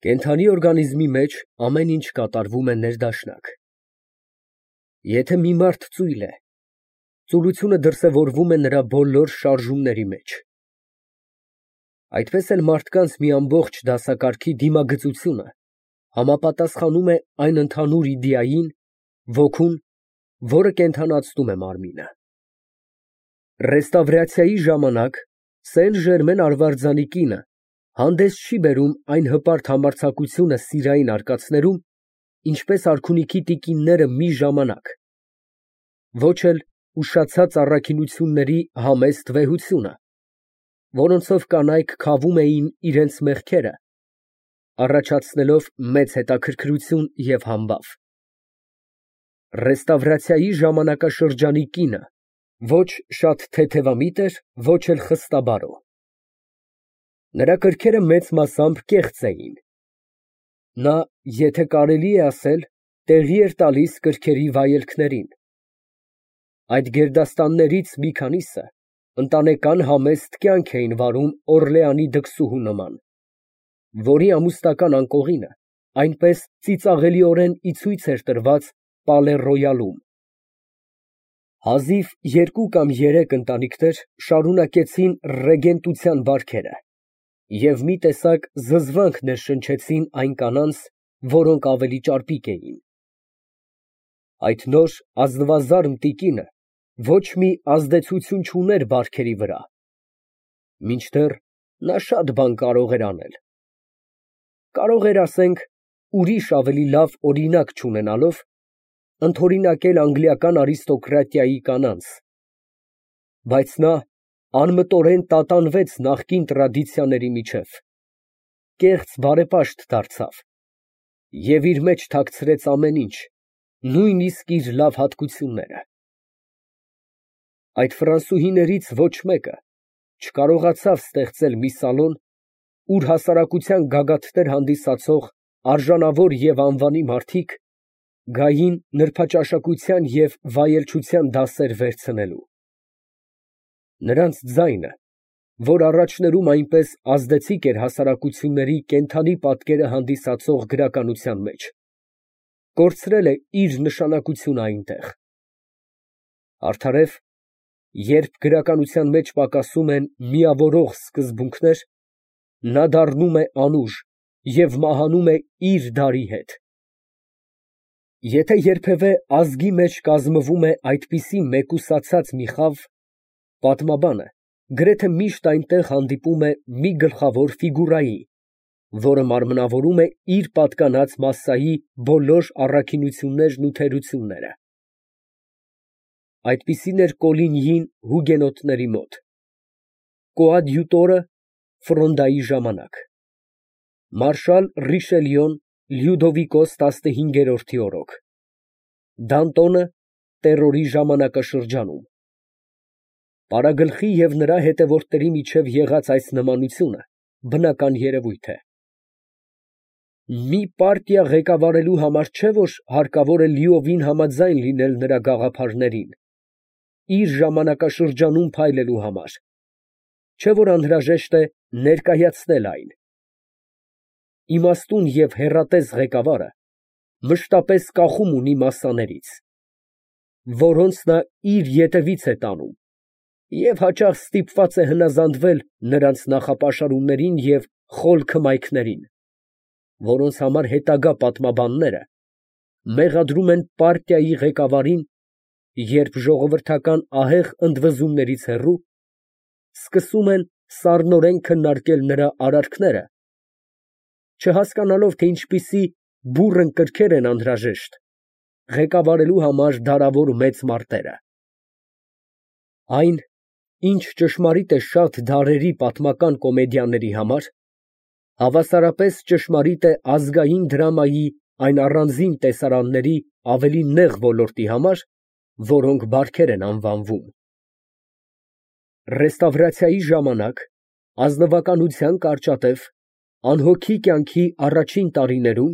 Կենդանի օրգանիզմի մեջ ամեն ինչ կատարվում է ներդաշնակ։ Եթե մի մարդ ծույլ է, ծուլությունը դրսևորվում է նրա բոլոր շարժումների մեջ։ Այդպես էլ մարդկանց մի ամբողջ դասակարգի դիմագծությունը համապատասխանում է այն ընդհանուր իդեային՝ ոգուն, որը կենդանացնում է մարմինը։ Ռեստավրացիայի ժամանակ Սեն֊Ժերմեն արվարձանի կինը հանդես չի բերում այն հպարտ համարձակությունը սիրային արկածներում, ինչպես արքունիքի տիկինները մի ժամանակ, ոչ էլ ուշացած առաքինությունների համեստ վեհությունը, որոնցով կանայք քավում էին իրենց մեղքերը, առաջացնելով մեծ հետաքրքրություն և համբավ։ Ռեստավրացիայի ժամանակաշրջանի կինը ոչ շատ թեթևամիտ էր, ոչ էլ խստաբարո։ Նրա կրքերը մեծ մասամբ կեղծ էին։ Նա, եթե կարելի է ասել, տեղի էր տալիս կրքերի վայելքներին։ Այդ գերդաստաններից մի քանիսը ընտանեկան համեստ կյանք էին վարում Օռլեանի դքսուհու նման, որի ամուսնական անկողինը այնպես ծիծաղելիորեն ի ցույց էր տրված Պալե֊Ռոյալում։ Հազիվ 2 կամ 3 ընտանիքներ շարունակեցին ռեգենտության բարքերը և մի տեսակ զզվանք ներշնչեցին այն կանանց, որոնք ավելի ճարպիկ էին։ Այդ նոր ազնվազարդ տիկինը ոչ մի ազդեցություն չուներ բարքերի վրա, մինչդեռ նա շատ բան կարող էր անել։ Կարող էր, ասենք, ուրիշ ավելի լավ օրինակ չունենալով, ընդօրինակել անգլիական արիստոկրատիայի կանանց, բայց նա անմտորեն տատանվեց նախկին տրադիցիաների միջև, կեղծ բարեպաշտ դարձավ և իր մեջ թաքցրեց ամեն ինչ, նույնիսկ իր լավ հատկությունները։ Այդ ֆրանսուհիներից ոչ մեկը չկարողացավ ստեղծել մի սալոն, ուր հասարակության գագաթներ հանդիսացող արժանավոր և անվանի մարդիկ գային նրբաճաշակության և վայելչության դասեր վերցնելու։ Նրանց ձայնը, որ առաջներում այնպես ազդեցիկ էր հասարակությունների կենդանի պատկերը հանդիսացող գրականության մեջ, կորցրել է իր նշանակությունը այնտեղ։ Արդարև, երբ գրականության մեջ պակասում են միավորող սկզբունքներ, նա դառնում է անուժ և մահանում է իր դարի հետ։ Եթե երբևէ ազգի մեջ կազմվում է այդպիսի մեկուսացած մի խավ, պատմաբանը գրեթե միշտ այնտեղ հանդիպում է մի գլխավոր ֆիգուրայի, որը մարմնավորում է իր պատկանած մասսայի բոլոր առաքինություններն ու թերությունները։ Այդպիսին էր Կոլինյին հուգենոտների մոտ, կոադյուտորը Ֆրոնդայի ժամանակ, մարշալ Ռիշելյոն Լյուդովիկոս 15-րդի օրոք, Դանտոնը տերորի ժամանակաշրջանում։ Պարագլխի և նրա հետևորդների միջև եղած այս նմանությունը բնական երևույթ է։ Մի պարտիա ղեկավարելու համար չէ, որ հարկավոր է լիովին համաձայն լինել նրա գաղափարներին, իր ժամանակաշրջանում փայլելու համար, չէ, որ անհրաժեշտ է ներկայացնել այն։ Իմաստուն և հեռատես ղեկավարը մշտապես կախում ունի մասսաներից, որոնց նա իր ետևից է տանում, և հաճախ ստիպված է հնազանդվել նրանց նախապաշարումներին և խոլ քմայքներին, որոնց համար հետագա պատմաբանները մեղադրում են պարտիայի ղեկավարին, երբ ժողովրդական ահեղ ընդվզումներից հեռու, սկսում են սառնորեն քննարկել նրա արարքները, չհասկանալով, թե ինչպիսի բուռն կրքեր են անհրաժեշտ ղեկավարելու համար դարավոր մեծ մարտերը։ Այն, ինչ ճշմարիտ է շատ դարերի պատմական կոմեդիաների համար, հավասարապես ճշմարիտ է ազգային դրամայի այն առանձին տեսարանների ավելի նեղ ոլորտի համար, որոնք բարքեր են անվանվում։ Ռեստավրացիայի ժամանակ ազնվականության կարճատև, անհոգի կյանքի առաջին տարիներում,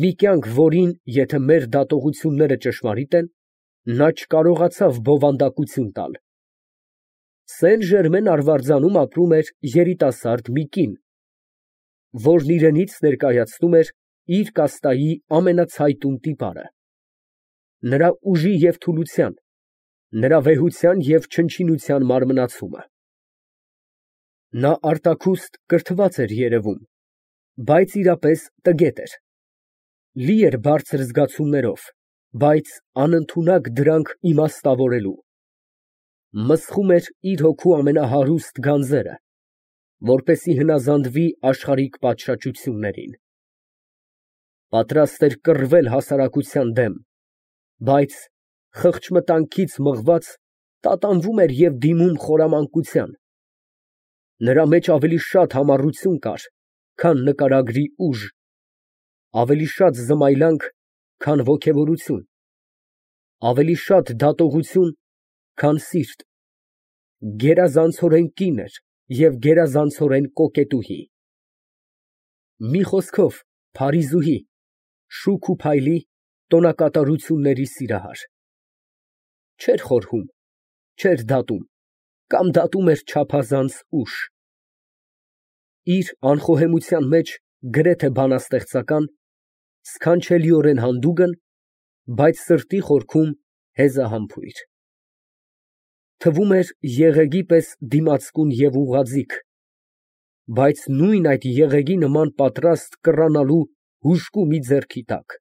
մի կյանք, որին, եթե մեր դատողությունները ճշմարիտ են, նա չկարողացավ բովանդակություն տալ, Սեն֊Ժերմեն արվարձանում ապրում էր երիտասարդ մի կին, որն իրենից ներկայացնում էր իր կաստայի ամենացայտուն տիպարը, նրա ուժի և թուլության, նրա վեհության և չնչինության մարմնացումը։ Նա արտաքուստ կրթված էր երևում, բայց իրապես տգետ էր, լի էր բարձր զգացումներով, բայց անընդունակ դրանք իմաստավորելու, մսխում էր իր հոգու ամենահարուստ գանձերը, որպեսզի հնազանդվի աշխարհիկ պատշաճություններին, պատրաստ էր կռվել հասարակության դեմ, բայց խղճմտանքից մղված տատանվում էր և դիմում խորամանկության, նրա մեջ ավելի շատ համառություն կար, քան նկարագրի ուժ, ավելի շատ զմայլանք, քան ոգևորություն, ավելի շատ դատողություն, քան սիրտ, գերազանցորեն կին էր և գերազանցորեն կոկետուհի, մի խոսքով փարիզուհի, շուք ու փայլի, տոնակատարությունների սիրահար, չէր խորհում, չէր դատում, կամ դատում էր չափազանց ուշ, իր անխոհեմության մեջ գրեթե բանաստեղծական, սքանչելիորեն հանդուգն, բայց սրտի խորքում հեզահամբույր, թվում էր եղեգի պես դիմացկուն և ուղղաձիգ, բայց նույն այդ եղեգի նման պատրաստ կռանալու հուժկու մի ձեռքի տակ,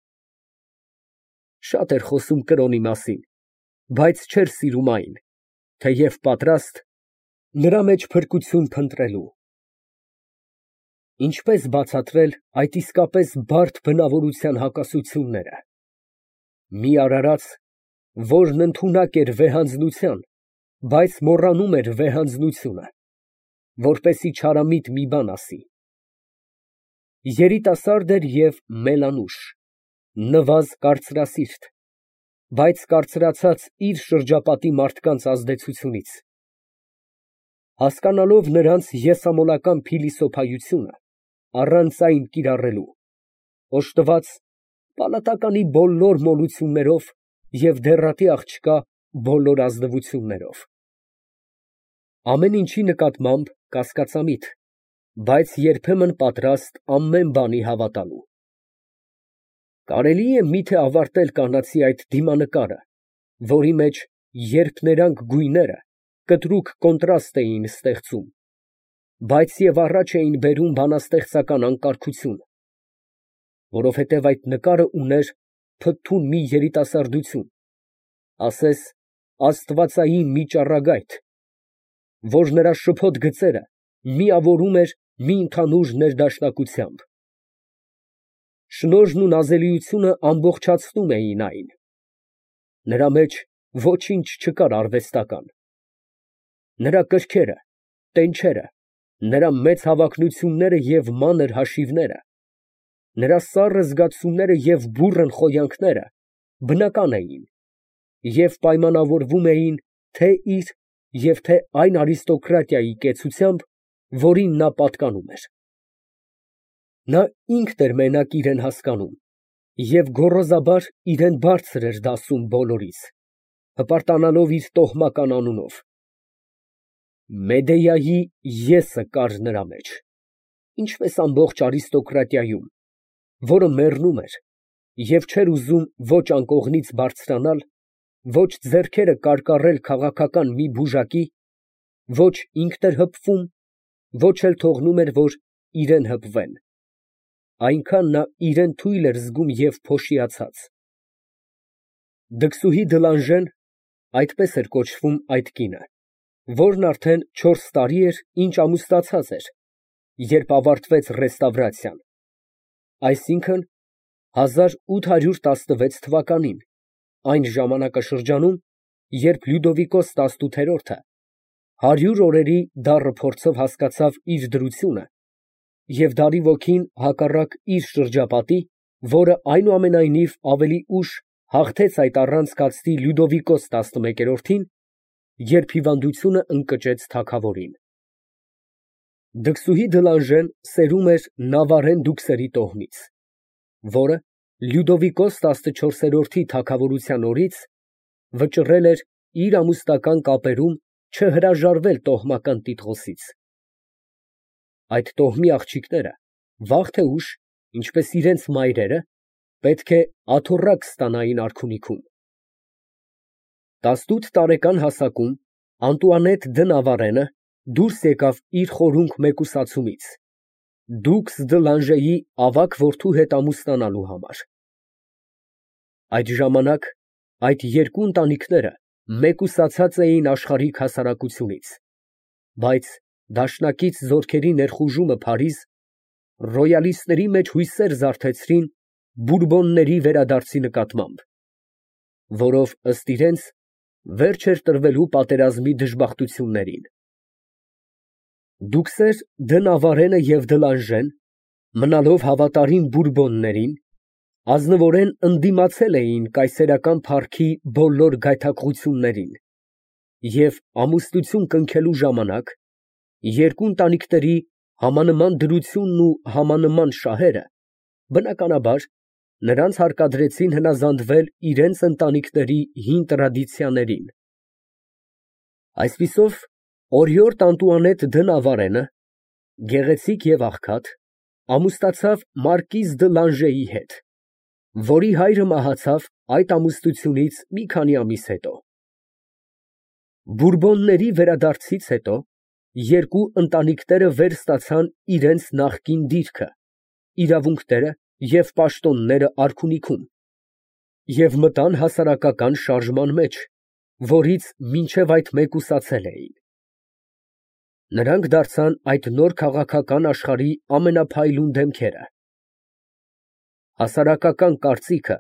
շատ էր խոսում կրոնի մասին, բայց չէր սիրում այն, թեև պատրաստ նրա մեջ փրկություն փնտրելու։ Ինչպես բացատրել այդ իսկապես բարդ բնավորության հակասությունները։ Մի արարած, որն ընդունակ էր վեհանձնության, բայց մոռանում էր վեհանձնությունը, որպեսզի չարամիտ մի բան ասի։ Երիտասարդ էր և մելանուշ, նվազ կարծրասիրտ, բայց կարծրացած իր շրջապատի մարդկանց ազդեցությունից։ Հասկանալով նրանց եսամոլական փիլիսոփայությունը, առանց այն կիրառելու, օժտված պալատականի բոլոր մոլություններով և դեռատի աղջկա բոլոր ազնվություններով, ամեն ինչի նկատմամբ կասկածամիտ, բայց երբեմն պատրաստ ամեն բանի հավատալու։ Կարելի է միթե ավարտել կանացի այդ դիմանկարը, որի մեջ, երբ ներանք գույները կտրուկ կոնտրաստ էին ստեղծում, բայց և առաջ էին բերում բանաստեղծական անկարգություն, որովհետև այդ նկարը ուներ փթթուն մի երիտասարդություն, ասես աստվածային մի ճառագայթ, որ նրա շփոթ գծերը միավորում էր մի ընդհանուր ներդաշնակությամբ։ Շնորհն ու նազելիությունը ամբողջացնում էին այն, նրա մեջ ոչինչ չկար արվեստական, նրա կրքերը, տենչերը, նրա մեծ հավակնությունները և մանր հաշիվները, նրա սառը զգացումները և բուռն խոյանքները բնական էին և պայմանավորվում էին թե իր և թե այն արիստոկրատիայի կեցությամբ, որին նա պատկանում էր։ Նա ինքն էր մենակ իրան հասկանում և գոռոզաբար իրան բարձր էր դասում բոլորից, հպարտանալով իր տոհմական անունով։ Մեդեայի եսը կար նրա մեջ, ինչպես ամբողջ արիստոկրատիայում, որը մեռնում էր և չէր ուզում ոչ անկողնից բարձրանալ, ոչ ձեռքերը կարկառել քաղաքական մի բուժակի, ոչ ինքն էր հպվում, ոչ էլ թողնում էր, որ իրան հպվեն, այնքան նա իրան թույլ էր զգում և փոշիացած։ Դքսուհի Դլանժեն (այդպես էր կոչվում այդ կինը), որն արդեն 4 տարի էր, ինչ ամուսնացած էր, երբ ավարտվեց ռեստավրացիան, այսինքն 1816 թվականին, այն ժամանակաշրջանում, երբ Լյուդովիկոս 18-րդը 100 օրերի դառը փորձով հասկացավ իր դրությունը և դարի ոգին հակառակ իր շրջապատի, որը այնուամենայնիվ ավելի ուշ հաղթեց այդ առանցքածնի Լյուդովիկոս 11-րդին, երբ հիվանդությունը ընկճեց թագավորին։ Դքսուհի Դլանժեն սերում էր Նավարեն դուքսերի տոհմից, որը Լյուդովիկոս 14-րդի թագավորության օրից վճռել էր իր ամուսնական կապերում չհրաժարվել տոհմական տիտղոսից։ Այդ տոհմի աղջիկները վաղ թե ուշ, ինչպես իրենց մայրերը, պետք է աթոռակ ստանային արքունիքում։ 18 տարեկան հասակում Անտուանետ դը Նավարենը դուրս եկավ իր խորունկ մեկուսացումից, դուքս դը Լանժեի ավագ որդու հետ ամուսնանալու համար։ Այդ ժամանակ այդ երկու ընտանիքները մեկուսացած էին աշխարհիկ հասարակությունից, բայց դաշնակից զորքերի ներխուժումը Փարիզ ռոյալիստների մեջ հույսեր զարթեցրին Բուրբոնների վերադարձի նկատմամբ, որով ըստ իրենց վերջ էր տրվելու պատերազմի դժբախտություններին։ Դուքսեր դը Նավարենը և դը Լանժեն, մնալով հավատարիմ Բուրբոններին, ազնվորեն ընդդիմացել էին կայսերական փառքի բոլոր գայթակղություններին և ամուսնություն կնքելու ժամանակ երկու ընտանիքների համանման դրությունն ու համանման շահերը, բնականաբար, նրանց հարկադրեցին հնազանդվել իրենց ընտանիքների հին տրադիցիաներին։ Այսպիսով, օրիորդ Անտուանետ դը Նավարենը, գեղեցիկ և աղքատ, ամուսնացավ մարկիզ դը Լանժեի հետ, որի հայրը մահացավ այդ ամուսնությունից մի քանի ամիս հետո։ Բուրբոնների վերադարձից հետո երկու ընտանիքները վերստացան իրենց նախկին դիրքը, իրավունքները և պաշտոնները արքունիքում և մտան հասարակական շարժման մեջ, որից մինչև այդ մեկուսացել էին։ Նրանք դարձան այդ նոր քաղաքական աշխարհի ամենափայլուն դեմքերը։ Հասարակական կարծիքը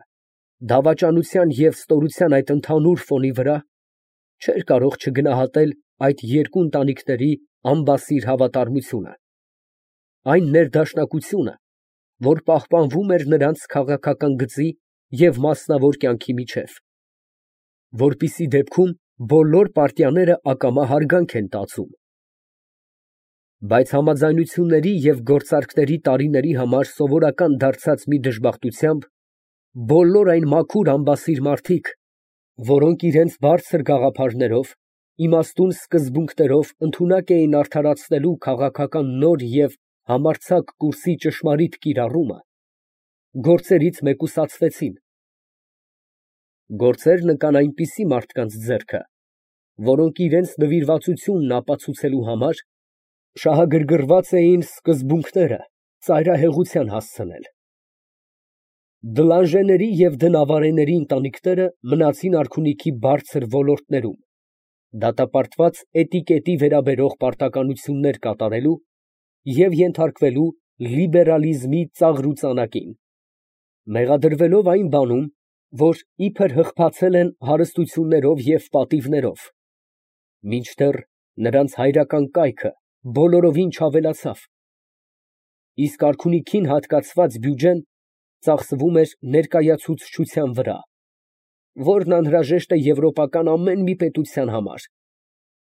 դավաճանության և ստորության այդ ընդհանուր ֆոնի վրա չէր կարող չգնահատել այդ երկու ընտանիքների անբասիր հավատարմությունը, այն ներդաշնակությունը, որ պահպանվում էր նրանց քաղաքական գծի և մասնավոր կյանքի միջև, որպիսի դեպքում բոլոր պարտիաները ակամա հարգանք են տածում։ Բայց համաձայնությունների և գործարքների տարիների համար սովորական դարձած մի դժբախտությամբ, բոլոր այն մաքուր անբասիր մարդիկ, որոնք իրենց բարձր գաղափարներով, իմաստուն սկզբունքներով ընդունակ էին արդարացնելու քաղաքական նոր և համարձակ կուրսի ճշմարիտ կիրառումը, գործերից մեկուսացվեցին։ Գործերն ընկան այնպիսի մարդկանց ձեռքը, որոնք իրենց նվիրվածությունն ապացուցելու համար շահագրգռված էին սկզբունքները ծայրահեղության հասցնել։ Դը Լանժեների և դը Նավարեների ընտանիքները մնացին արքունիքի բարձր ոլորտներում, դատապարտված էտիկետի վերաբերող պարտականություններ կատարելու և ենթարկվելու լիբերալիզմի ծաղրուծանակին, մեղադրվելով այն բանում, որ իբր հղկացել են հարստություններով և պատիվներով, մինչդեռ նրանց հայրական կայքը բոլորովին չավելացավ, իսկ արքունիքին հատկացված բյուջեն ծախսվում էր ներկայացուցչության վրա, որն անհրաժեշտ է եվրոպական ամեն մի պետության համար,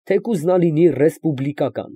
թեկուզ նա լինի ռեսպուբլիկական։